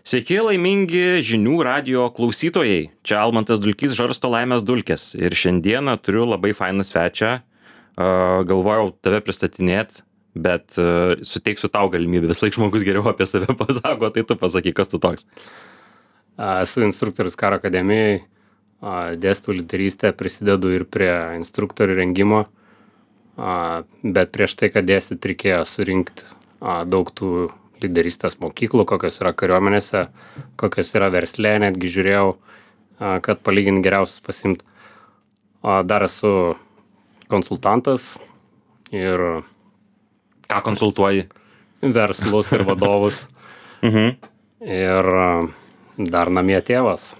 Sveiki, laimingi žinių radijo klausytojai. Čia Almantas Dulkys žarsto laimės dulkes. Ir šiandieną turiu labai fainą svečią. Galvojau tave pristatinėt, bet suteiksiu tau galimybę. Vis laik žmogus geriau apie save pasako, tai tu pasakyk, kas tu toks. Esu instruktorius karo akademijai, dėstau lyderystę, prisidedu ir prie instruktorių rengimo, bet prieš tai, kad dėstyt, reikėjo surinkti daug tų lyderystės mokyklų, kokios yra kariuomenėse, kokios yra versle, netgi žiūrėjau, kad palyginti geriausius pasimt. Dar esu konsultantas ir Ką konsultuoji? verslus ir vadovus ir dar namie tėvas,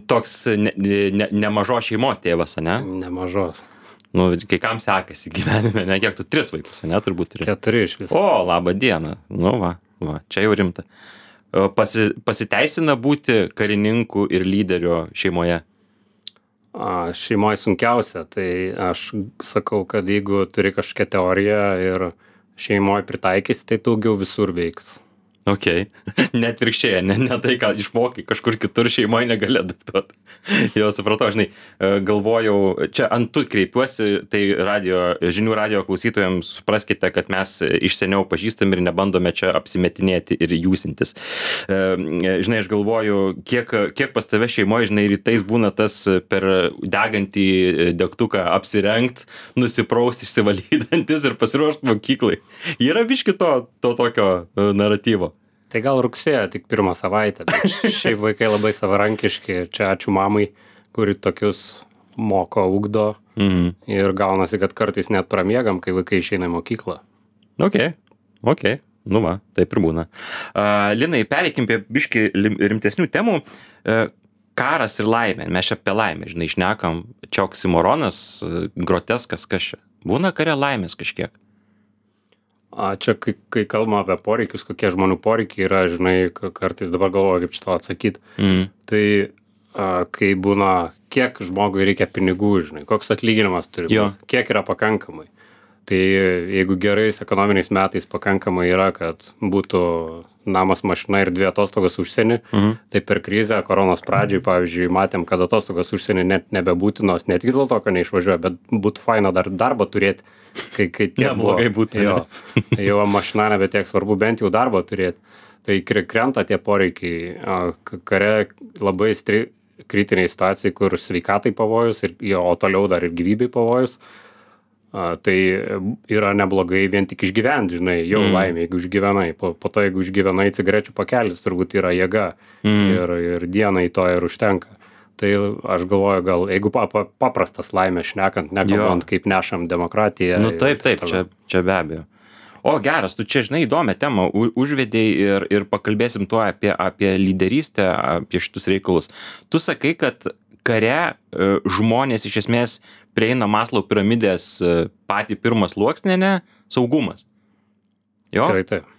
Toks nemažos šeimos tėvas, ne? nemažos, Nu, kai kam sekasi gyvenime, ne? Kiek tu 3 vaikus, ne? Turbūt turi. 4 iš viso. O, laba diena. Nu va, čia jau rimta. Pasiteisina būti karininku ir lyderio šeimoje? Šeimoje sunkiausia, tai aš sakau, kad jeigu turi kažkokią teoriją ir šeimoje pritaikysi, tai daugiau visur veiks. Ok. Net virkščiai, ne tai, ką išmokai kažkur kitur šeimoje negali adaptuoti. Jau supratau, žinai, galvojau, čia ant tu kreipiuosi, tai žinių radio klausytojams supraskite, kad mes iš seniau pažįstam ir nebandome čia apsimetinėti ir jūsintis. Žinai, aš galvoju, kiek pas tave šeimoje, žinai, rytais būna tas per degantį degtuką apsirengt, nusipraust, išsivalydantis ir pasiruošt mokyklai. Yra biški to tokio naratyvo. Tai gal rugsėjo tik 1 savaitę, bet šiaip vaikai labai savarankiški, čia ačiū mamai, kuri tokius moko, ugdo ir gaunasi, kad kartais net pramiegam, kai vaikai išeina į mokyklą. Ok, nu va, taip ir būna. Linai, pereikim prie biški rimtesnių temų. Karas ir laimė, mes čia apie laimę, žinai, šnekam, čia oksimoronas, groteskas, kas čia. Būna kare laimės kažkiek. Čia, kai kalbame apie poreikius, kokie žmonių poreikiai yra, žinai, kartais dabar galvoju, kaip šitą atsakyti. Tai kai būna, kiek žmogui reikia pinigų, žinai, koks atlyginimas turi būti, kiek yra pakankamai. Tai jeigu gerais ekonominiais metais pakankamai yra, kad būtų namas, mašina ir 2 atostogas užsienį, tai per krizę, koronos pradžiai, pavyzdžiui, matėm, kad atostogas užsienį net nebebūtinos, ne tik dėl to, kad neišvažiuoja, bet būtų faina dar darbą turėti, kai Neblogai būtų. Jau mašina nebe tiek svarbu, bent jau darbą turėti. Tai krenta tie poreikiai. Kare labai kritiniai situacijai, kur sveikatai pavojus, o toliau dar ir gyvybei pavojus. Tai yra neblogai vien tik išgyventi, žinai, jau laimė, jeigu išgyvenai. Po to, jeigu išgyvenai, cigarečių pakelis turbūt yra jėga ir dienai to ir užtenka. Tai aš galvoju, gal jeigu paprastas laimės šnekant, nekalbant, kaip nešam demokratiją. Nu taip, čia be abejo. O geras, tu čia, žinai, įdomią temą užvedei ir pakalbėsim tuo apie lyderystę, apie šitus reikalus. Tu sakai, kad kare žmonės iš esmės prieina Maslow piramidės patį pirmą sluoksnį, ne? Saugumas. Jo? Tikrai taip.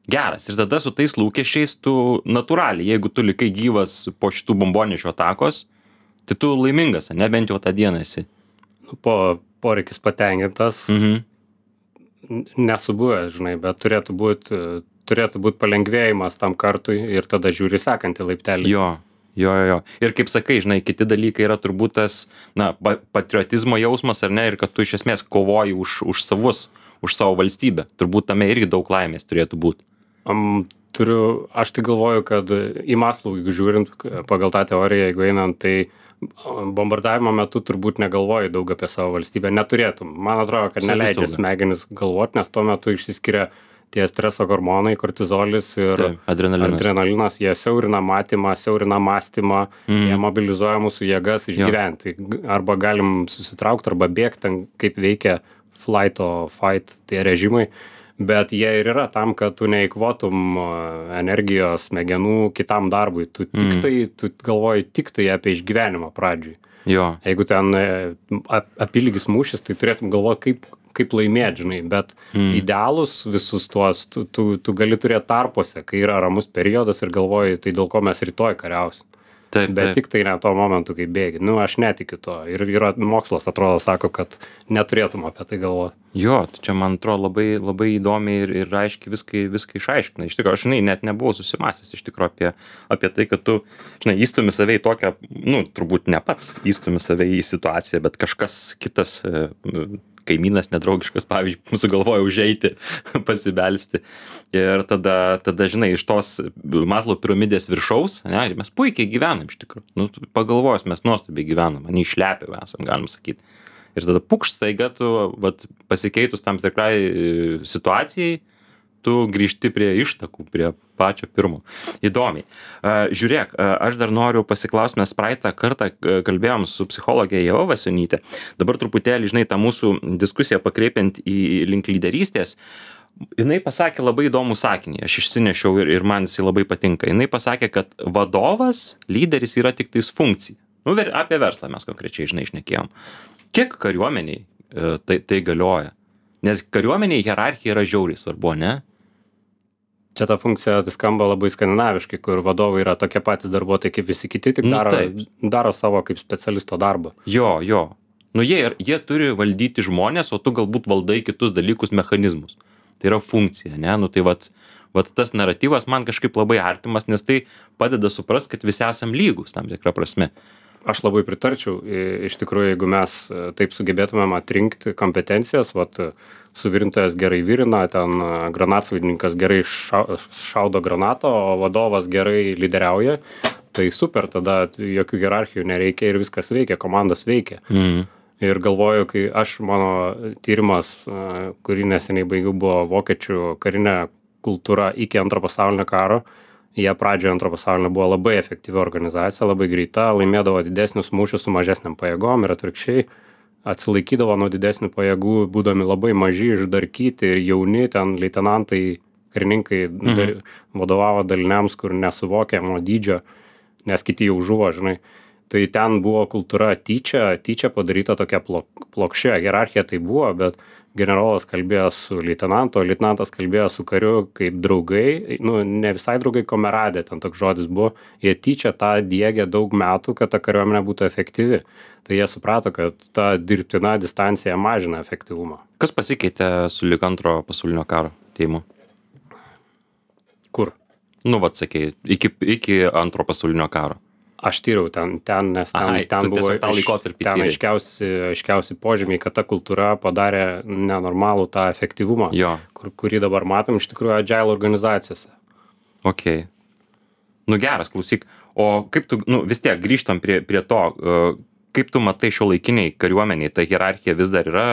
Geras. Ir tada su tais lūkesčiais tu natūraliai, jeigu tu likai gyvas po šitų bombonešio atakos, tai tu laimingas, ne? Bent jau tą dieną esi. Poreikis patenkintas. Nesubuvęs, žinai, bet turėtų būt palengvėjimas tam kartui ir tada žiūri sekantį laiptelį. Jo. Ir kaip sakai, žinai, kiti dalykai yra turbūt tas, patriotizmo jausmas, ar ne, ir kad tu iš esmės kovoji už savus, už savo valstybę. Turbūt tame irgi daug laimės turėtų būti. Aš tai galvoju, kad į Maslow, jeigu žiūrint pagal tą teoriją, jeigu einant, tai bombardavimo metu turbūt negalvoji daug apie savo valstybę. Neturėtum. Man atrodo, kad neleidžia smegenis galvoti, nes tuo metu išsiskiria tie streso hormonai, kortizolis ir adrenalinas, jie siaurina matymą, siaurina mąstymą, jie mobilizuoja mūsų jėgas išgyventi. Arba galim susitraukti, arba bėgti, kaip veikia flight or fight tie režimai, bet jie ir yra tam, kad tu neįkvotum energijos, smegenų kitam darbui. Tu galvoji tik tai apie išgyvenimą pradžiui. Jeigu ten apylygis mūšis, tai turėtum galvoti, kaip laimėti, žinai, bet idealus visus tuos, tu gali turėti tarpuose, kai yra ramus periodas ir galvoji, tai dėl ko mes rytoj kariausim. Taip, bet taip. tik tai ne tuo momentu, kai bėgi. Nu, aš netikiu to. Ir yra mokslas, atrodo, sako, kad neturėtum apie tai galvoti. Jo, tai čia man atrodo labai įdomiai ir aiškiai viską išaiškina. Iš tikrųjų, aš net nebuvau susimąstęs iš tikrųjų apie tai, kad tu, įstumi save į tokią, turbūt ne pats įstumi save į situaciją, bet kažkas kitas, kaimynas nedraugiškas, pavyzdžiui, sugalvoja užeiti, pasibelsti. Ir tada, iš tos Maslow piramidės viršaus, mes puikiai gyvenam iš tikrųjų. Pagalvojus, mes nuostabiai gyvenam, neišlepę esam, galim sakyti. Ir tada pukšt staiga tu, pasikeitus tam tikrai situacijai, tu grįžti prie ištakų, prie pačio pirmo. Įdomiai. Žiūrėk, aš dar noriu pasiklausti, mes praeitą kartą kalbėjom su psichologė Ieva Vasionytė. Dabar truputėlį, tą mūsų diskusiją pakreipiant į link lyderystės. Jinai pasakė labai įdomų sakinį, aš išsinešiau ir man jisai labai patinka. Jinai pasakė, kad vadovas, lyderis yra tik tais funkcija. Apie verslą mes konkrečiai, šnekėjom. Kiek kariuomeniai tai galioja? Nes kariuomeniai hierarchija yra žiauriai svarbu, ne? Čia ta funkcija tai skamba labai skandinaviškai, kur vadovai yra tokie patys darbuotojai kaip visi kiti, tik daro savo kaip specialisto darbą. Jo. Jie turi valdyti žmonės, o tu galbūt valdai kitus dalykus, mechanizmus. Tai yra funkcija, ne? Tai vat tas naratyvas man kažkaip labai artimas, nes tai padeda suprast, kad visi esam lygus tam tikrą prasme. Aš labai pritarčiau. Iš tikrųjų, jeigu mes taip sugebėtumėm atrinkti kompetencijas, suvirintojas gerai virina, ten granatsvaidininkas gerai šaudo granatą, o vadovas gerai lyderiauja, tai super, tada jokių hierarchijų nereikia ir viskas veikia, komandos veikia. Ir galvoju, kai mano tyrimas, kurį neseniai baigiau, buvo vokiečių karinė kultūra iki Antro pasaulinio karo. Jie pradžioje Antro pasaulinio buvo labai efektyvi organizacija, labai greita, laimėdavo didesnius mūšius su mažesniam pajėgom ir atvirkščiai atsilaikydavo nuo didesnių pajėgų, būdami labai maži, išdarkyti ir jauni, ten leitenantai, karininkai vadovavo daliniams, kur nesuvokiamo dydžio, nes kiti jau žuvo, Tai ten buvo kultūra tyčia padaryta tokia plokščia, hierarchija tai buvo, bet generolas kalbėjo su leitenantu, o leitenantas kalbėjo su kariu kaip draugai, ne visai draugai, komeradė, ten toks žodis buvo, jie tyčia tą diegė daug metų, kad ta kariuomenė būtų efektyvi. Tai jie suprato, kad ta dirbtina distancija mažina efektyvumą. Kas pasikeitė su lig Antro pasaulinio karo atėjimu? Kur? Sakei, iki Antro pasaulinio karo. Aš tyriau ten, nes ten buvo ten aiškiausi požymiai, kad ta kultūra padarė nenormalų tą efektyvumą, kurį dabar matom iš tikrųjų agile organizacijose. Ok. Geras, klausyk. O kaip tu, vis tiek grįžtam prie to, kaip tu matai šiuolaikiniai kariuomeniai, ta hierarchija vis dar yra,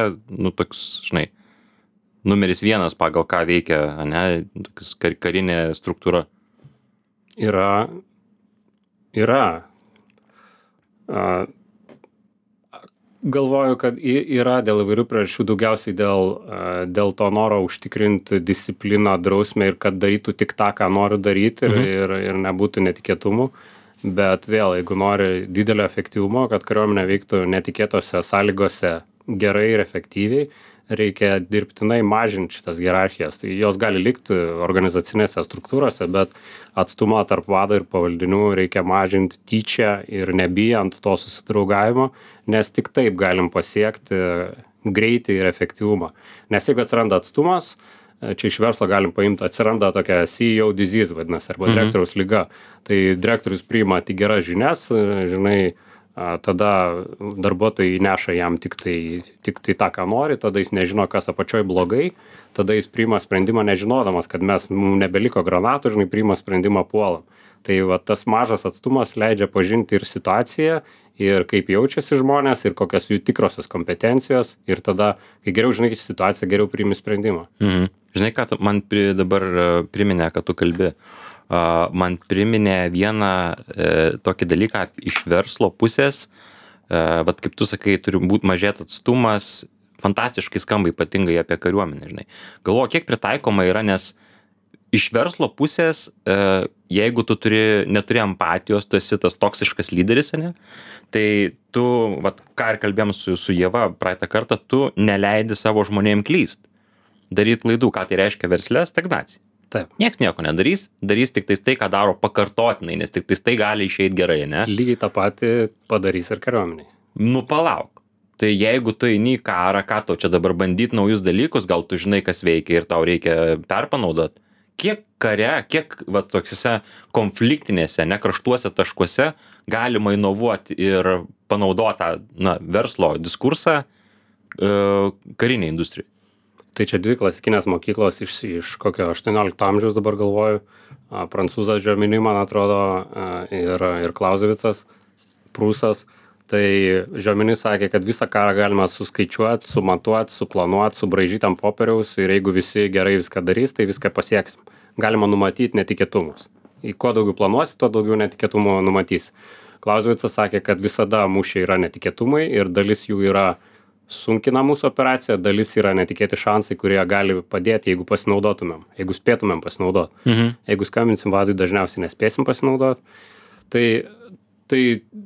toks, numeris 1 pagal ką veikia, toks karinė struktūra? Yra. Galvoju, kad yra dėl įvairių priežasčių, daugiausiai dėl to noro užtikrinti discipliną, drausmę ir kad darytų tik tą, ką nori daryti ir nebūtų netikėtumų. Bet vėl, jeigu nori didelio efektyvumo, kad kariuomenė veiktų netikėtose sąlygose gerai ir efektyviai, reikia dirbtinai mažinti šitas hierarchijas. Tai jos gali likti organizacinėse struktūrose, bet atstumą tarp vado ir pavaldinių reikia mažinti tyčia ir nebijant to susidraugavimo, nes tik taip galim pasiekti greitį ir efektyvumą. Nes jeigu atsiranda atstumas, čia iš verslo galim paimti, atsiranda tokia CEO disease vadinasi, arba direktoriaus liga. Tai direktorius priima tik geras žinias, tada darbuotojai neša jam tik tai tą, ką nori, tada jis nežino, kas apačioj blogai, tada jis priima sprendimą nežinodamas, kad mums nebeliko granatų, priima sprendimą puolam. Tai tas mažas atstumas leidžia pažinti ir situaciją, ir kaip jaučiasi žmonės, ir kokios jų tikrosios kompetencijos, ir tada, kai geriau žinai situaciją, geriau priimi sprendimą. Žinai, ką man dabar priminė, kad tu kalbi? Man priminė vieną tokį dalyką iš verslo pusės, kaip tu sakai, turi būti mažėt atstumas, fantastiškai skamba ypatingai apie kariuomenę, Galvoju, kiek pritaikoma yra, nes iš verslo pusės, jeigu tu neturi empatijos, tu esi tas toksiškas lyderis, tai tu, ką ir kalbėjom su Ieva praeitą kartą, tu neleidi savo žmonėm klyst, daryt klaidų, ką tai reiškia versle, stagnacija. Taip. Nieks nieko nedarys, darys tik tais tai, ką daro pakartotinai, nes tik tais tai gali išeiti gerai, ne? Lygiai tą patį padarys ir kariuomeniai. Nu palauk. Tai jeigu tu eini į karą, ką tau čia dabar bandyti naujus dalykus, gal tu žinai, kas veikia ir tau reikia perpanaudot. Kiek kare, kiek va, tokiuose konfliktinėse, nekraštuose taškuose galima inovuoti ir panaudotą verslo diskursą kariniai industrijai? Tai čia dvi klasikinės mokyklos iš kokio 18 amžiaus dabar galvoju. Prancūzas Jomini, man atrodo, ir Clausewicas, Prūsas. Tai Jomini sakė, kad visą karą galima suskaičiuoti, sumatuoti, suplanuoti, subraižyti ant popieriaus ir jeigu visi gerai viską darys, tai viską pasieksim. Galima numatyti netikėtumus. Į kuo daugiau planuosi, tuo daugiau netikėtumų numatysi. Clausewicas sakė, kad visada mūšiai yra netikėtumai ir dalis jų yra sunkina mūsų operaciją, dalis yra netikėti šansai, kurie gali padėti, jeigu pasinaudotumėm, jeigu spėtumėm pasinaudoti. Jeigu skambinsim vadui, dažniausiai nespėsim pasinaudoti. Tai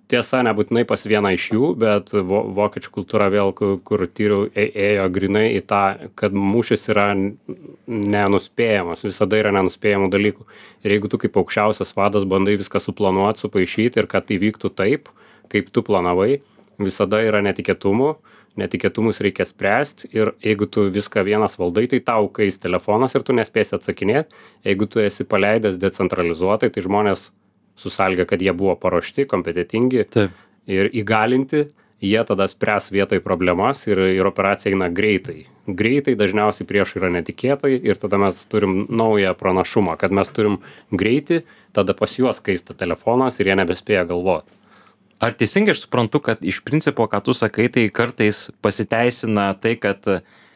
tiesa, nebūtinai pas vieną iš jų, bet vokiečių kultūra vėl, kur tyriau, ėjo grinai į tą, kad mūšis yra nenuspėjamas, visada yra nenuspėjamų dalykų. Ir jeigu tu kaip aukščiausias vadas bandai viską suplanuoti, supaišyti ir kad tai vyktų taip, kaip tu planavai, visada yra netikėtumų. Netikėtumus reikia spręsti ir jeigu tu viską vienas valdai, tai tau kais telefonas ir tu nespėsi atsakinėti. Jeigu tu esi paleidęs decentralizuotai, tai žmonės susalgia, kad jie buvo paruošti, kompetentingi ir įgalinti, jie tada spręs vietoj problemas ir operacija eina greitai. Greitai dažniausiai prieš yra netikėtai ir tada mes turim naują pranašumą, kad mes turim greitį, tada pas juos kaista telefonas ir jie nebespėja galvoti. Ar teisingai aš suprantu, kad iš principo, ką tu sakai, tai kartais pasiteisina tai, kad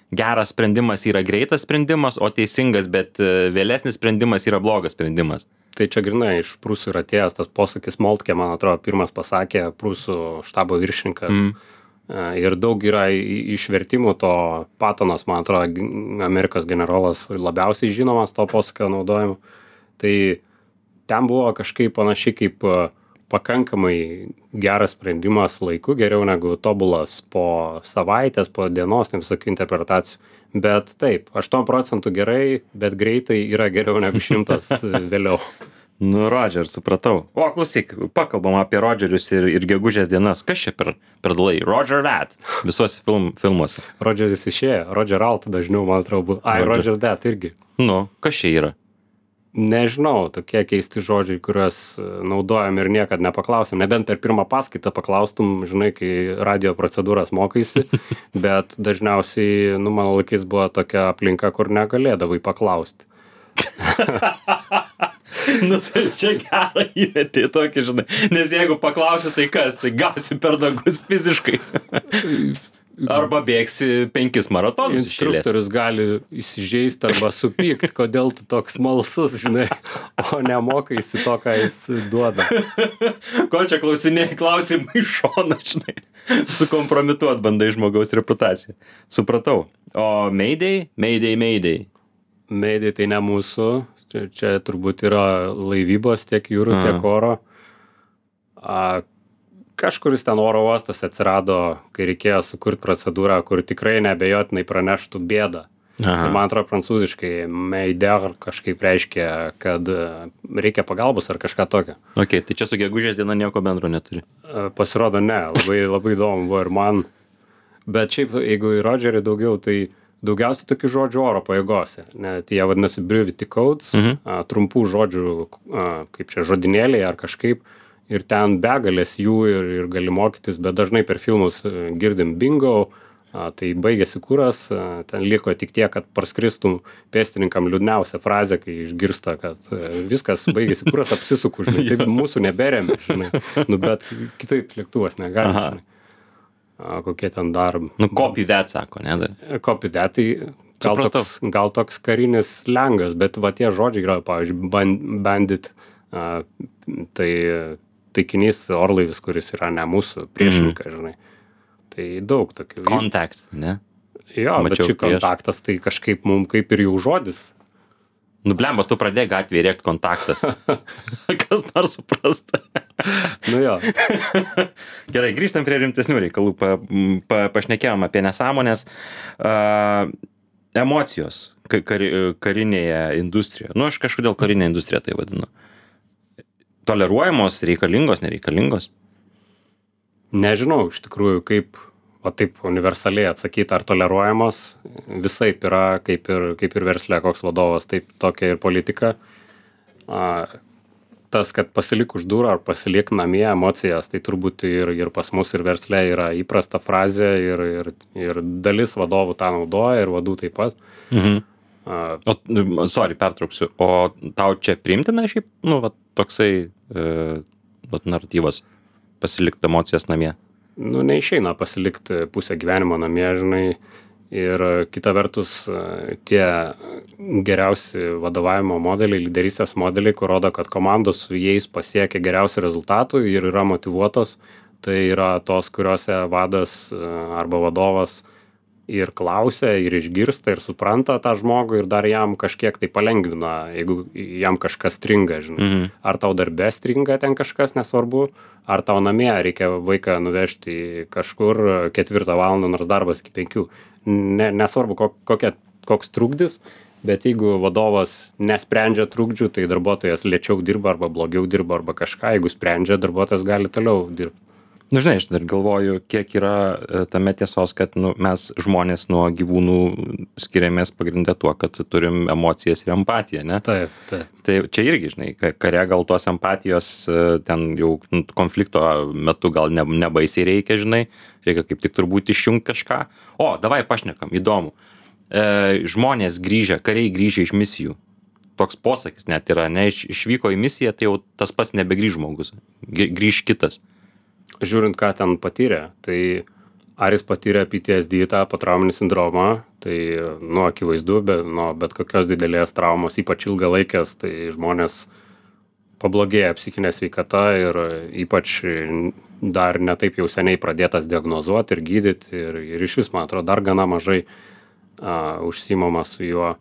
geras sprendimas yra greitas sprendimas, o teisingas, bet vėlesnis sprendimas yra blogas sprendimas? Tai čia grinai iš Prūsų yra atėjęs tas posakis Moltkė, man atrodo, pirmas pasakė Prūsų štabo viršininkas. Ir daug yra išvertimų to Patonas, man atrodo, Amerikos generolas labiausiai žinomas to posakio naudojimu. Tai ten buvo kažkaip panašiai kaip pakankamai geras sprendimas laiku, geriau negu tobulas po savaitės, po dienos, tai visokių interpretacijų. Bet taip, 8% gerai, bet greitai yra geriau negu 100 vėliau. Nu, Rodžer, supratau. O, klausyk, pakalbam apie Rodžerius ir gegužės dienas. Kas čia per dalai? Roger That visuose filmuose. Rodžeris išėjo, Roger Alt dažniau, man atrodo. Roger That irgi. Nu, kas čia yra? Nežinau, tokie keisti žodžiai, kuriuos naudojam ir niekad nepaklausim. Nebent per pirmą paskaitą paklaustum, žinai, kai radio procedūras mokaisi, bet dažniausiai, mano laikais buvo tokia aplinka, kur negalėdavai paklausti. Tai čia gerą įmetė tokį, žinai, nes jeigu paklausi, tai kas, tai gausi per nagus fiziškai. Arba bėgsi 5 maratonus išėlės. Instruktorius gali įsižeisti arba supykti, kodėl tu toks smalsus, žinai, o nemokaisi to, ką jis duoda. Ko čia klausimai iš šono, žinai, sukompromituot bandai žmogaus reputaciją. Supratau. O Mayday? Mayday tai ne mūsų, čia turbūt yra laivybos tiek jūrų, tiek oro. Kažkuris ten oro uostas atsirado, kai reikėjo sukurti procedūrą, kur tikrai neabejotinai praneštų bėdą. Ir man atrodo, prancūziškai Mayday kažkaip reiškia, kad reikia pagalbos ar kažką tokio. Ok, tai čia su gegužės diena nieko bendro neturi. Pasirodo, ne, labai įdomu buvo ir man. Bet šiaip, jeigu į Rodžerį daugiau, tai daugiausiai tokių žodžių oro pajėgose. Net jie vadinasi brevity codes, trumpų žodžių, kaip čia žodinėliai ar kažkaip. Ir ten begalės jų ir gali mokytis, bet dažnai per filmus girdim bingo, tai baigėsi kuras, ten liko tik tiek, kad parskristum pėstininkam liūdniausią frazę, kai išgirsta, kad viskas baigėsi kuras, apsisuku, žinai, taip mūsų neberėmė, žinai, bet kitaip lėktuvas negali, žinai. Kokie ten dar... Copy that, sako, ne? Copy that, tai gal toks karinis slengas, bet va tie žodžiai yra, pavyzdžiui, bandit, tai taikinys orlaivis, kuris yra ne mūsų priešininkas, žinai. Tai daug tokių. Contact, ne? Jo, bet šį kontaktas, tai kažkaip mums kaip ir jau žodis. Blemba, tu pradėjai gatvėje rėkti kontaktas. Kas nors suprasta. Jo. Gerai, grįžtam prie rimtesnių reikalų. Pašnekėjom apie nesąmonės. emocijos karinėje industrijoje. Nu, aš kažkodėl karinė industrija tai vadinu. Toleruojamos, reikalingos, nereikalingos? Nežinau, iš tikrųjų, kaip, o taip universaliai atsakyti, ar toleruojamos, visaip yra, kaip ir versle, koks vadovas, taip tokia ir politika. Tas, kad pasilik už durų ar pasilik namie emocijas, tai turbūt ir pas mus ir versle yra įprasta frazė ir dalis vadovų tą naudoja ir vadų taip pat. Pertrauksiu, o tau čia priimtina šiaip, nu, va, toksai naratyvas pasilikti emocijas namie? Nu, neišeina pasilikti pusę gyvenimo namie, žinai, ir kita vertus tie geriausi vadovavimo modeliai, lyderystės modeliai, kur rodo, kad komandos su jais pasiekia geriausių rezultatų ir yra motyvuotos, tai yra tos, kuriuose vadas arba vadovas ir klausia, ir išgirsta, ir supranta tą žmogų, ir dar jam kažkiek tai palengvina, jeigu jam kažkas stringa, žinai. Ar tau darbe stringa ten kažkas, nesvarbu, ar tau namie reikia vaiką nuvežti kažkur 4 valandą, nors darbas iki 5. Nesvarbu, koks trukdis, bet jeigu vadovas nesprendžia trukdžių, tai darbuotojas lėčiau dirba arba blogiau dirba arba kažką, jeigu sprendžia, darbuotojas gali toliau dirbti. Nu, žinai, aš dar galvoju, kiek yra tame tiesos, kad mes žmonės nuo gyvūnų skiriamės pagrindę tuo, kad turim emocijas ir empatiją, ne? Taip. Tai čia irgi, žinai, kare gal tos empatijos ten jau konflikto metu gal nebaisiai reikia, žinai, reikia kaip tik turbūt išjungti kažką. O, davai pašnekam, įdomu. Žmonės grįžę, kariai grįžę iš misijų. Toks posakis net yra, ne, išvyko į misiją, tai jau tas pats nebegrįž žmogus, grįž kitas. Žiūrint, ką ten patyrė, tai ar jis patyrė PTSD, tą potrauminį sindromą, tai, nu, akivaizdu, bet kokios didelės traumos, ypač ilgalaikės, tai žmonės pablogėja psichinė sveikata ir ypač dar netaip jau seniai pradėtas diagnozuoti ir gydyti ir iš vis, man atrodo, dar gana mažai užsiimama su juo.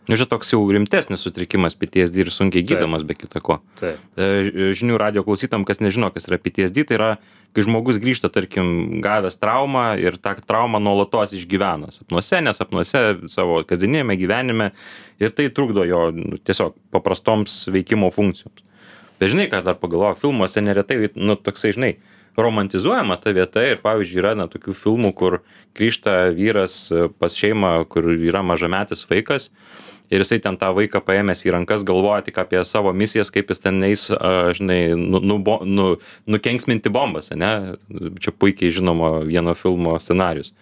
Nu, čia toks jau rimtesnis sutrikimas PTSD ir sunkiai gydomas be kita ko. Taip. Žinių radijo klausytam, kas nežino, kas yra PTSD, tai yra, kai žmogus grįžta, tarkim, gavęs traumą ir tą traumą nuolatos išgyvena nesapnuose, savo kasdieniniame gyvenime ir tai trukdo jo tiesiog paprastoms veikimo funkcijoms. Bet žinai, ką dar pagalvoju, filmuose neretai, nu, toksai, žinai, romantizuojama ta vieta ir, pavyzdžiui, yra tokių filmų, kur grįžta vyras pas šeimą, kur yra mažametis vaikas ir jisai ten tą vaiką paėmęs į rankas galvoja tik apie savo misijas, kaip jis ten eis, žinai, nukenksminti bombas, ne? Čia puikiai žinoma vieno filmo scenarius.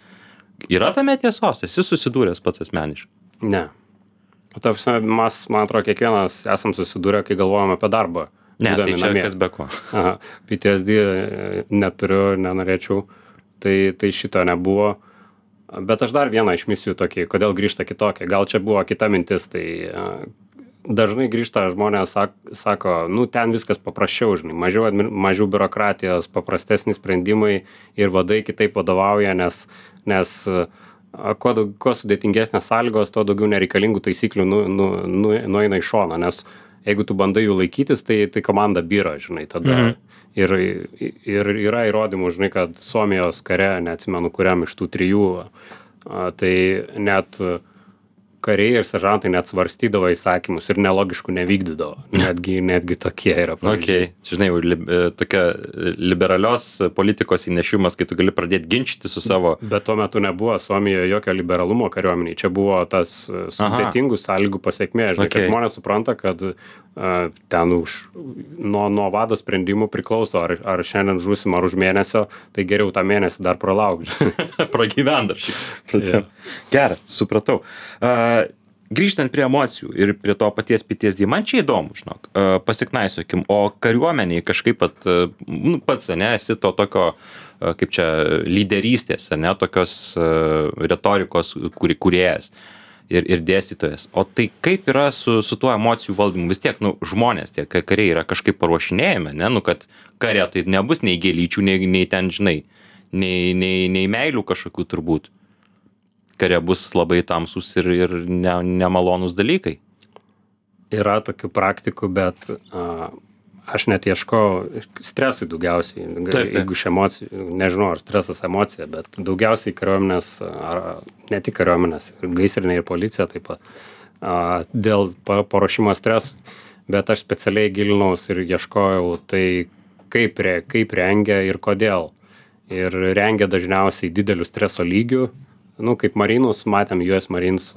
Yra tame tiesos? Esi susidūręs pats asmeniškai? Ne. Mes, man atrodo, kiekvienas esam susidūrę, kai galvojam apie darbą. Ne, tai čia namie. Kas be ko. Aha, PTSD neturiu, nenorėčiau, tai šito nebuvo. Bet aš dar vieną iš misijų tokį, kodėl grįžta kitokia. Gal čia buvo kita mintis, tai dažnai grįžta žmonės, sako, nu, ten viskas paprasčiau, žinai, mažiau biurokratijos, paprastesni sprendimai ir vadai kitaip vadovauja, nes kuo sudėtingesnės sąlygos, tuo daugiau nereikalingų taisyklių nueina į šoną, nes jeigu tu bandai jų laikytis, tai komanda byra, žinai, tada. Ir yra įrodymų, žinai, kad Suomijos kare, neatsimenu kuriam iš tų 3, tai net kariai ir seržantai net svarstydavo įsakymus ir nelogiškų nevykdydavo. Netgi tokie yra pavyzdžiai. Okay. Žinai, tokia liberalios politikos įnešimas, kai tu gali pradėti ginčyti su savo... Bet tuo metu nebuvo Suomijoje jokio liberalumo kariuomeniai. Čia buvo tas sudėtingų sąlygų pasiekmė. Žinai, kad žmonės supranta, kad ten nuo vado sprendimų priklauso, ar šiandien žūsim, ar už mėnesio, tai geriau tą mėnesį dar pralaukti. Pragyvent dar šiek. Gerai, supratau. Grįžtant prie emocijų ir prie to paties PTSD, man čia įdomu, žinok, pasiknaisiokim, o kariuomeniai kažkaip pats, ne, esi to tokio, kaip čia, lyderystės, ne, tokios retorikos kūrėjas ir dėstytojas. O tai kaip yra su tuo emocijų valdymu? Vis tiek, nu, žmonės, tie kariai yra kažkaip paruošinėjami, ne, nu, kad kare tai nebus nei gėlyčių, nei ten, žinai, nei meilių kažkokių turbūt. Kare bus labai tamsus ir nemalonus dalykai. Yra tokių praktikų, bet Aš net ieškau stresui daugiausiai, jeigu iš emocijų, nežinau, ar stresas emocija, bet daugiausiai kariuomenės, ar ne tik kariuomenės, gaisrinė ir policija taip pat, dėl paruošimo stresui. Bet aš specialiai gilinaus ir ieškojau tai, kaip rengia ir kodėl. Ir rengia dažniausiai didelių streso lygių. Kaip marinus, matėm US Marines,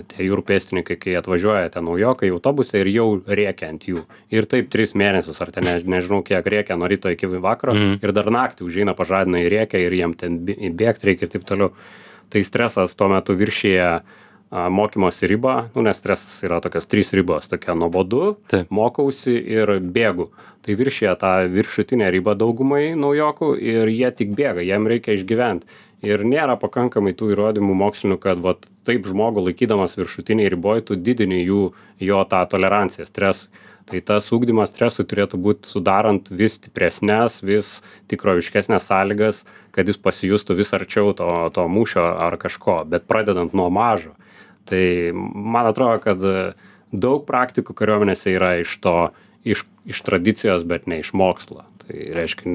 tie jūrų pėstininkai, kai atvažiuoja ten naujokai autobuse ir jau rėkia ant jų. Ir taip 3 mėnesius, ar ten nežinau kiek rėkia nuo ryto iki vakaro, ir dar naktį užeina pažadina į rėkia ir jiem ten bėgti reikia ir taip toliau. Tai stresas tuo metu viršyje mokymosi ribą, nes stresas yra tokios 3 ribos, tokia nuobodu, mokausi ir bėgu. Tai viršyje tą viršutinę ribą daugumai naujokų ir jie tik bėga, jiem reikia išgyventi. Ir nėra pakankamai tų įrodymų mokslinių, kad taip žmogų laikydamas viršutiniai riboj, tu didini jo tą toleranciją stresui. Tai tas ugdymas stresui turėtų būti sudarant vis stipresnės, vis tikroviškesnės sąlygas, kad jis pasijustų vis arčiau to mūšio ar kažko, bet pradedant nuo mažo. Tai man atrodo, kad daug praktikų kariuomenėse yra iš tradicijos, bet ne iš mokslo. Tai reiškia,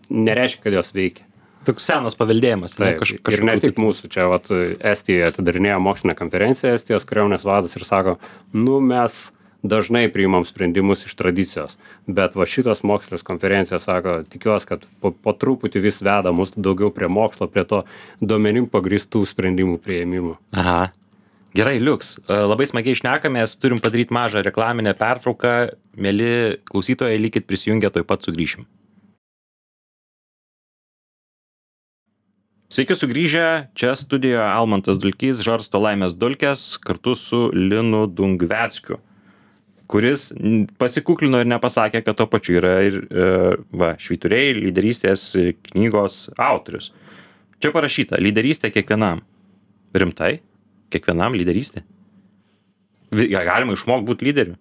nereiškia, kad jos veikia. Toks senas paveldėjimas. Taip, ir ne tik mūsų. Čia Estijoje atidarinėjo mokslinę konferenciją Estijos kariuomenės vadas ir sako, mes dažnai priimam sprendimus iš tradicijos, bet šitos mokslinės konferencijos sako, tikiuosi, kad po truputį vis veda mus daugiau prie mokslo, prie to duomenim pagrįstų sprendimų priėmimų. Aha. Gerai, Liuks, labai smagiai šnekamės, turim padaryti mažą reklaminę pertrauką. Mieli klausytojai, likit prisijungę, tuoj pat sugrįšim. Sveiki sugrįžę, čia studijoje Almantas Dulkys žarsto laimės dulkes kartu su Linu Dungveckiu, kuris pasikuklino ir nepasakė, kad to pačiu yra ir švyturiai lyderystės knygos autorius. Čia parašyta, lyderystė kiekvienam. Rimtai? Kiekvienam lyderystė? Galima išmokti būti lyderiu?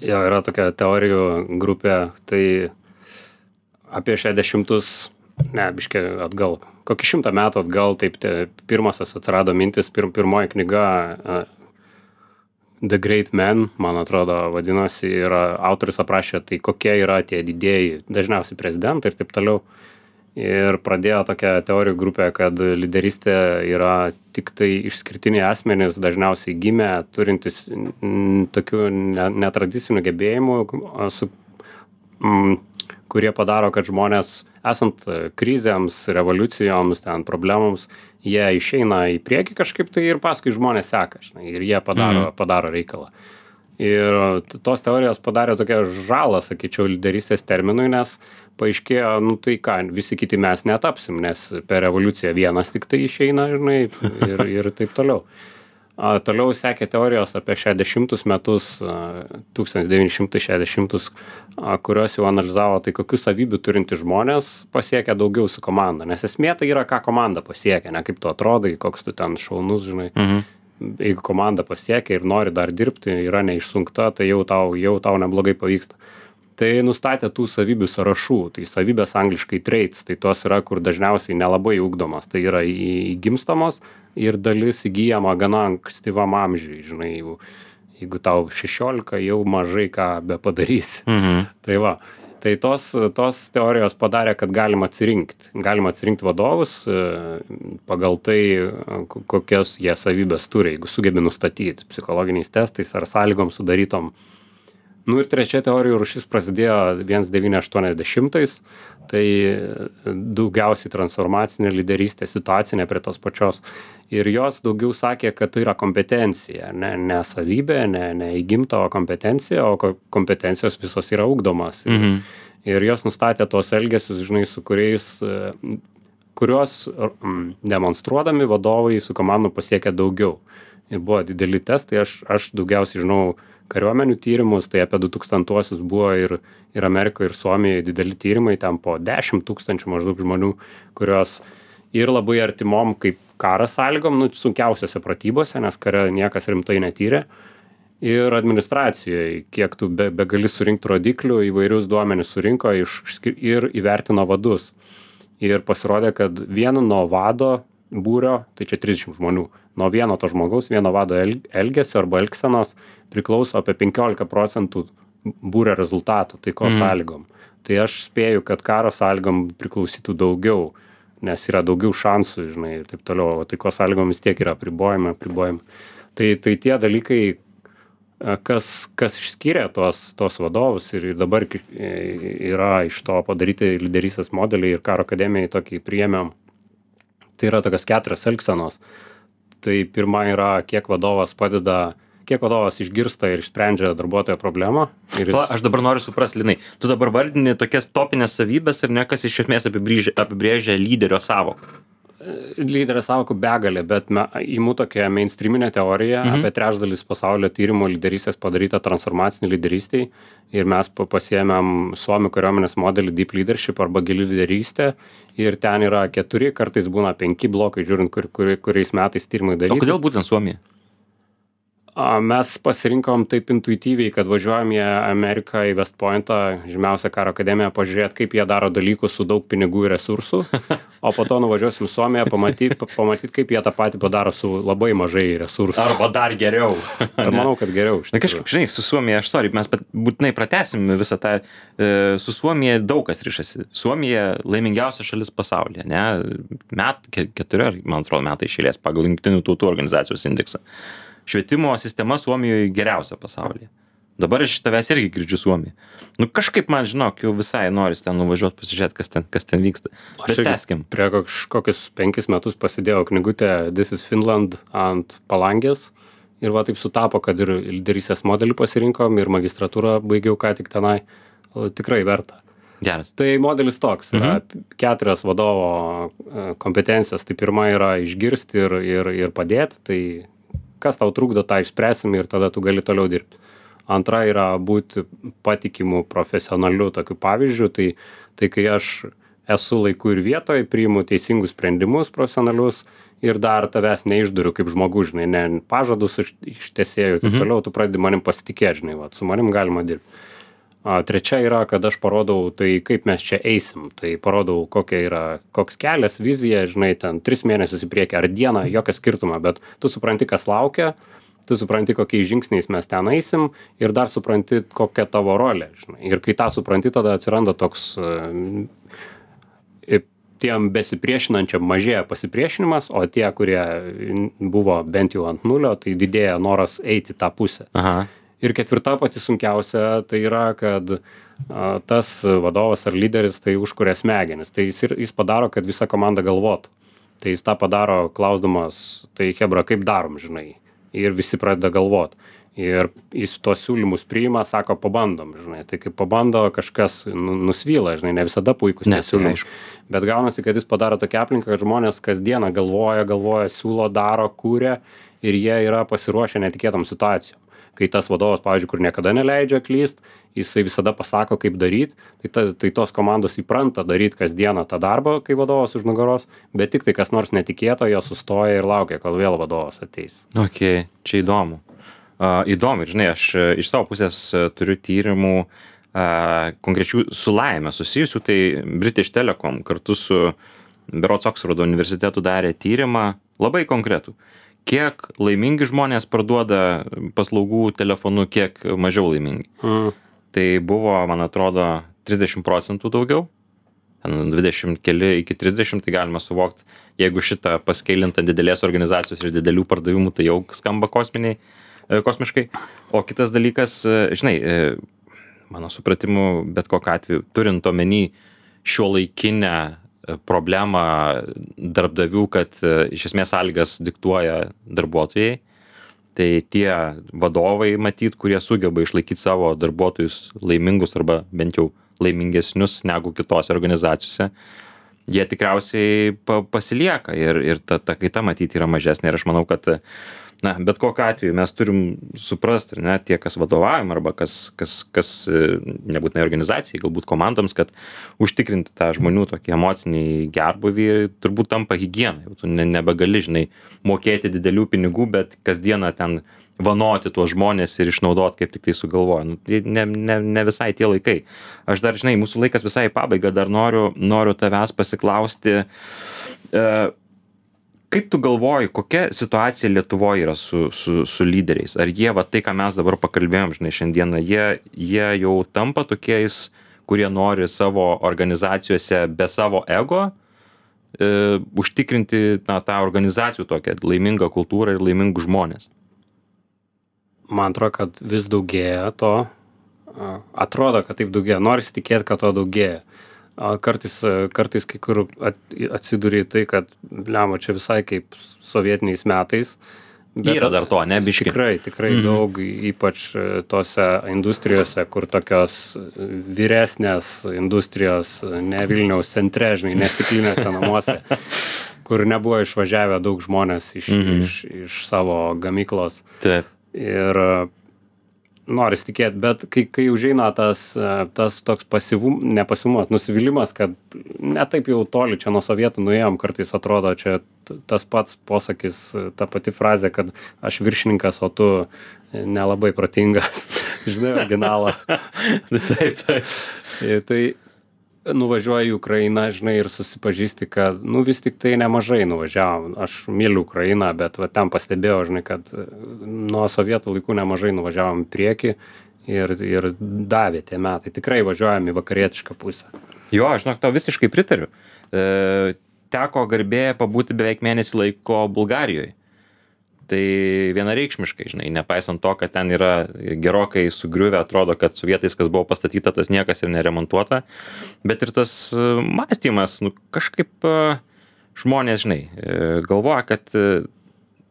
Jo, yra tokia teorijų grupė, tai apie 60 biškai atgal, kokį 100 metų atgal, taip pirmosios atsirado mintis, pirmoji knyga The Great Men, man atrodo, vadinosi, ir autorius aprašė, tai kokie yra tie didieji, dažniausiai prezidentai ir taip toliau. Ir pradėjo tokia teorijų grupė, kad lyderystė yra tik tai išskirtiniai asmenys, dažniausiai gimę, turintys tokių netradicinių gebėjimų, kurie padaro, kad žmonės, esant krizėms, revoliucijoms, problemoms, jie išeina į priekį kažkaip tai ir paskui žmonės seka, ir jie padaro reikalą. Ir tos teorijos padarė tokią žalą, sakyčiau, lyderystės terminui, nes paaiškėjo, tai ką, visi kiti mes netapsim, nes per revoliuciją vienas tik tai išeina, ir taip toliau. Toliau sekė teorijos apie 60 metus, 1960, kurios jau analizavo, tai kokių savybių turinti žmonės pasiekia daugiau su komanda. Nes esmė tai yra, ką komanda pasiekia, ne kaip tu atrodai, koks tu ten šaunus, žinai. Jeigu komanda pasiekia ir nori dar dirbti, yra neišsunkta, tai jau tau neblogai pavyksta. Tai nustatė tų savybių sąrašų, tai savybės angliškai traits, tai tos yra, kur dažniausiai nelabai ugdomos, tai yra įgimstamos ir dalis įgyjama gana ankstyvam amžiui, žinai, jeigu tau 16, jau mažai ką bepadarysi. Tai va, tai tos teorijos padarė, kad galima atsirinkti vadovus pagal tai, kokias jie savybės turi, jeigu sugebi nustatyti psichologiniais testais ar sąlygom sudarytom. Ir trečia teorijų rūšis prasidėjo 1980, tai daugiausiai transformacinė lyderystė, situacinė prie tos pačios. Ir jos daugiau sakė, kad tai yra kompetencija, ne savybė, ne įgimta, o kompetencija, o kompetencijos visos yra ugdomas. Ir jos nustatė tos elgesius, žinai, su kuriuos demonstruodami vadovai su komandu pasiekė daugiau. Ir buvo dideli testai, aš daugiausiai žinau kariuomenių tyrimus, tai apie 2000-uosius buvo ir Amerikoje, ir Suomijoje dideli tyrimai, ten po 10 000 maždaug žmonių, kurios ir labai artimom kaip karas sąlygom, sunkiausiose pratybose, nes kare niekas rimtai netyrė, ir administracijoje, kiek tu begali surinkti rodiklių, įvairius duomenis surinko ir įvertino vadus. Ir pasirodė, kad vieno nuo vado būrio, tai čia 30 žmonių, nuo vieno to žmogaus, vieno vado elgesio arba elgsenos priklauso apie 15% būrio rezultatų, taikos sąlygom. Tai aš spėju, kad karo sąlygom priklausytų daugiau, nes yra daugiau šansų, žinai, ir taip toliau, o taikos sąlygom vis tiek yra apribojimai. Tai tie dalykai, kas išskyrė tos vadovus ir dabar yra iš to padaryti lyderystės modeliai ir karo akademijai tokį priėmėm. Tai yra tokios 4 elgsenos. Tai pirma yra, kiek vadovas išgirsta ir išsprendžia darbuotojo problemą. Aš dabar noriu suprasti, Linai, tu dabar vardini tokias topinės savybės ir ne kas iš esmės apibrėžia lyderio sąvoką. Lyderio sąvokų begalė, bet imu tokią mainstreaminę teoriją, apie trečdalis pasaulio tyrimų lyderystės padaryta transformacinį lyderystėj ir mes pasiėmėm Suomių kariuomenės modelį Deep Leadership arba gili lyderystė ir ten yra 4, kartais būna 5 blokai, žiūrint, kuriais metais tyrimai daryti. O kodėl būtent Suomija? Mes pasirinkom taip intuityviai, kad važiuojam į Ameriką, į West Pointą, žymiausią karo akademiją, pažiūrėti, kaip jie daro dalykus su daug pinigų ir resursų, o po to nuvažiuosim į Suomiją, pamatyti, kaip jie tą patį padaro su labai mažai resursų. Arba dar geriau. Ar manau, kad geriau. Na kažkaip, žinai, su Suomija, mes būtinai pratęsim visą tą, su Suomija daug kas ryšasi. Suomija laimingiausia šalis pasaulyje, ne? 4, man atrodo, metai iš eilės pagal Jungtinių tautų organizacijos indeksą. Švietimo sistema Suomijoje geriausia pasaulyje. Dabar iš tavęs irgi girdžiu Suomiją. Nu kažkaip man, žinok, jau visai noris ten nuvažiuoti, pasižiūrėti, kas ten vyksta. Bet tęskim. Prie kokius 5 metus pasidėjau knygutę This is Finland ant palangės. Ir va taip sutapo, kad ir lyderystės modelį pasirinkom ir magistratūrą baigiau ką tik tenai. Tikrai verta. Geras. Tai modelis toks. Yra 4 vadovo kompetencijos. Tai pirma yra išgirsti ir padėti. Tai kas tau trukdo, tą išspręsim ir tada tu gali toliau dirbti. Antra yra būti patikimu profesionaliu tokiu pavyzdžiu, tai kai aš esu laiku ir vietoje, priimu teisingus sprendimus profesionalius ir dar tavęs neišduriu kaip žmogus, žinai, ne pažadus ištesėjau ir taip toliau, tu pradedi manim pasitikėti, žinai, va, su manim galima dirbti. Trečia yra, kad aš parodau, tai kaip mes čia eisim, tai parodau, koks kelias, vizija, žinai, ten 3 mėnesius į priekį ar dieną, jokio skirtumo, bet tu supranti, kas laukia, tu supranti, kokiais žingsniais mes ten eisim ir dar supranti, kokia tavo rolė, žinai. Ir kai tą supranti, tada atsiranda toks tiem besipriešinančiam mažėja pasipriešinimas, o tie, kurie buvo bent jau ant nulio, tai didėja noras eiti tą pusę. Aha. Ir 4 pati sunkiausia, tai yra, kad tas vadovas ar lyderis tai užkuria smegenis. Tai jis padaro, kad visa komanda galvotų. Tai jis tą padaro klausdamas, tai chebra, kaip darom, žinai. Ir visi pradeda galvoti. Ir jis tuos siūlymus priima, sako, pabandom, žinai. Tai kai pabando, kažkas nusvyla, žinai, ne visada puikus siūlymai. Bet gaunasi, kad jis padaro tokią aplinką, kad žmonės kasdieną galvoja, siūlo, daro, kūrė ir jie yra pasiruošę netikėtom situacijom. Kai tas vadovas, pavyzdžiui, kur niekada neleidžia klyst, jisai visada pasako, kaip daryti, tai tos komandos įpranta daryti kasdieną tą darbą, kai vadovas už nugaros, bet tik tai kas nors netikėto, jo sustoja ir laukia, kol vėl vadovas ateis. Ok, čia įdomu. Įdomu, žinai, aš iš savo pusės turiu tyrimų konkrečių su laime susijusių, tai British Telecom kartu su berods Oksfordo universitetu darė tyrimą labai konkretų. Kiek laimingi žmonės parduoda paslaugų telefonu, kiek mažiau laimingi. Tai buvo, man atrodo, 30% daugiau, 20 keli iki 30, tai galima suvokti, jeigu šitą paskeilinta didelės organizacijos ir didelių pardavimų, tai jau skamba kosmiškai. O kitas dalykas, žinai, mano supratimu, bet kokiu atveju, turint omeny šiuolaikinę problemą darbdavių, kad iš esmės sąlygas diktuoja darbuotojai, tai tie vadovai, matyt, kurie sugeba išlaikyti savo darbuotojus laimingus arba bent jau laimingesnius negu kitose organizacijose, jie tikriausiai pasilieka ir ta kaita matyti yra mažesnė. Ir aš manau, kad bet kokiu atveju mes turim suprasti, ne, tie, kas vadovaujam arba kas nebūtinai organizacijai, galbūt komandoms, kad užtikrinti tą žmonių tokį emocinį gerbūvį turbūt tampa higiena. Tu nebegali, žinai, mokėti didelių pinigų, bet kasdieną ten vanoti tuos žmonės ir išnaudoti, kaip tik tai sugalvoja. Tai ne visai tie laikai. Aš dar, žinai, mūsų laikas visai į pabaigą, dar noriu tavęs pasiklausti, kaip tu galvoji, kokia situacija Lietuvoje yra su lyderiais? Ar jie, va tai, ką mes dabar pakalbėjom, žinai, šiandieną, jie jau tampa tokiais, kurie nori savo organizacijose be savo ego užtikrinti tą organizacijų tokią laimingą kultūrą ir laimingus žmonės? Man atrodo, kad vis daugėja to. Atrodo, kad taip daugėja. Norisi tikėti, kad to daugėja. Kartais kai kur atsiduri tai, kad lemma čia visai kaip sovietiniais metais. Bet yra dar to, ne, biški? Tikrai daug, ypač tose industrijose, kur tokios vyresnės industrijos, ne Vilniaus centre, žinai, ne stiklinėse namuose, kur nebuvo išvažiavę daug žmonės iš savo gamyklos. Taip. Ir noris tikėti, bet kai užeina tas toks nepasivumas, nusivylimas, kad ne taip jau toli čia nuo sovietų nuėjom, kartais atrodo čia tas pats posakis, ta pati frazė, kad aš viršininkas, o tu nelabai protingas, žinai, originalą. Taip. Tai nuvažiuoji į Ukrainą, žinai, ir susipažįsti, kad, vis tik tai nemažai nuvažiavom. Aš myliu Ukrainą, bet va ten pastebėjau, žinai, kad nuo sovietų laikų nemažai nuvažiavom į priekį ir davė tie metai. Tikrai važiuojam į vakarietišką pusę. Jo, aš žinok, tau visiškai pritariu. Teko garbė pabūti beveik mėnesį laiko Bulgarijoje. Tai vienareikšmiškai, žinai, nepaisant to, kad ten yra gerokai sugriuvę, atrodo, kad su vietais, kas buvo pastatyta, tas niekas ir neremontuota, bet ir tas mąstymas, kažkaip žmonės, žinai, galvoja, kad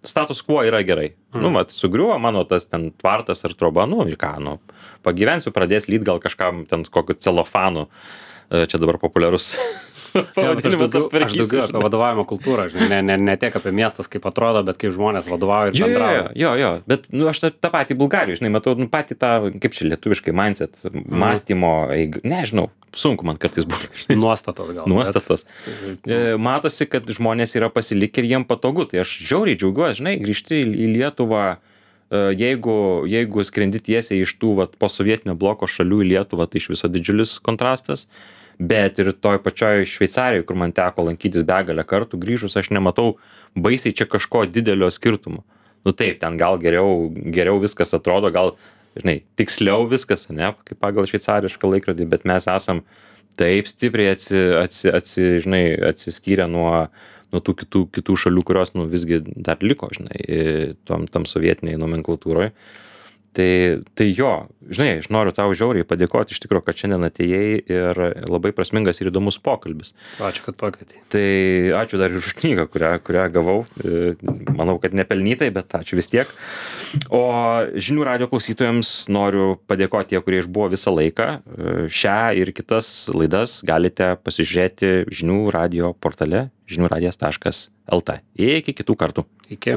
status quo yra gerai. Sugriuvo mano tas ten tvartas ar troba, ir ką, pagyvensiu, pradės lyt gal kažkam ten kokiu celofanu, čia dabar populiarus. Aš daugiau apie vadovavimo kultūrą, žinai, ne tiek apie miestas, kaip atrodo, bet kaip žmonės vadovauja ir bendrauja. Jo, bet aš tą patį Bulgarijų, žinai, matau, patį tą, kaip čia lietuviškai, mindset, mąstymo, nežinau, sunku man kartais būna. Nuostatos gal. Nuostatos. Matosi, kad žmonės yra pasilikę ir jiem patogu, tai aš žiauriai džiaugiuosi, žinai, grįžti į Lietuvą, jeigu skrendi tiesiai iš tų posovietinio bloko šalių į Lietuvą, tai iš viso didžiulis kontrastas. Bet ir toj pačioj Šveicarijoje, kur man teko lankytis begalę kartų, grįžus aš nematau baisiai čia kažko didelio skirtumo. Taip, ten gal geriau viskas atrodo, gal, žinai, tiksliau viskas, ne, kaip pagal šveicarišką laikrodį, bet mes esam taip stipriai atsiskyrę nuo tų kitų šalių, kurios, visgi dar liko, žinai, tam sovietiniai nomenklatūroje. Tai jo, žinai, aš noriu tau žiauriai padėkoti iš tikrųjų, kad šiandien atėjai ir labai prasmingas ir įdomus pokalbis. Ačiū, kad pakvietei. Tai ačiū dar ir už knygą, kurią gavau. Manau, kad nepelnytai, bet ačiū vis tiek. O Žinių radijo klausytojams noriu padėkoti tie, kurie išbuvo visą laiką. Šią ir kitas laidas galite pasižiūrėti Žinių radijo portale žiniųradijas.lt. Iki kitų kartų. Iki.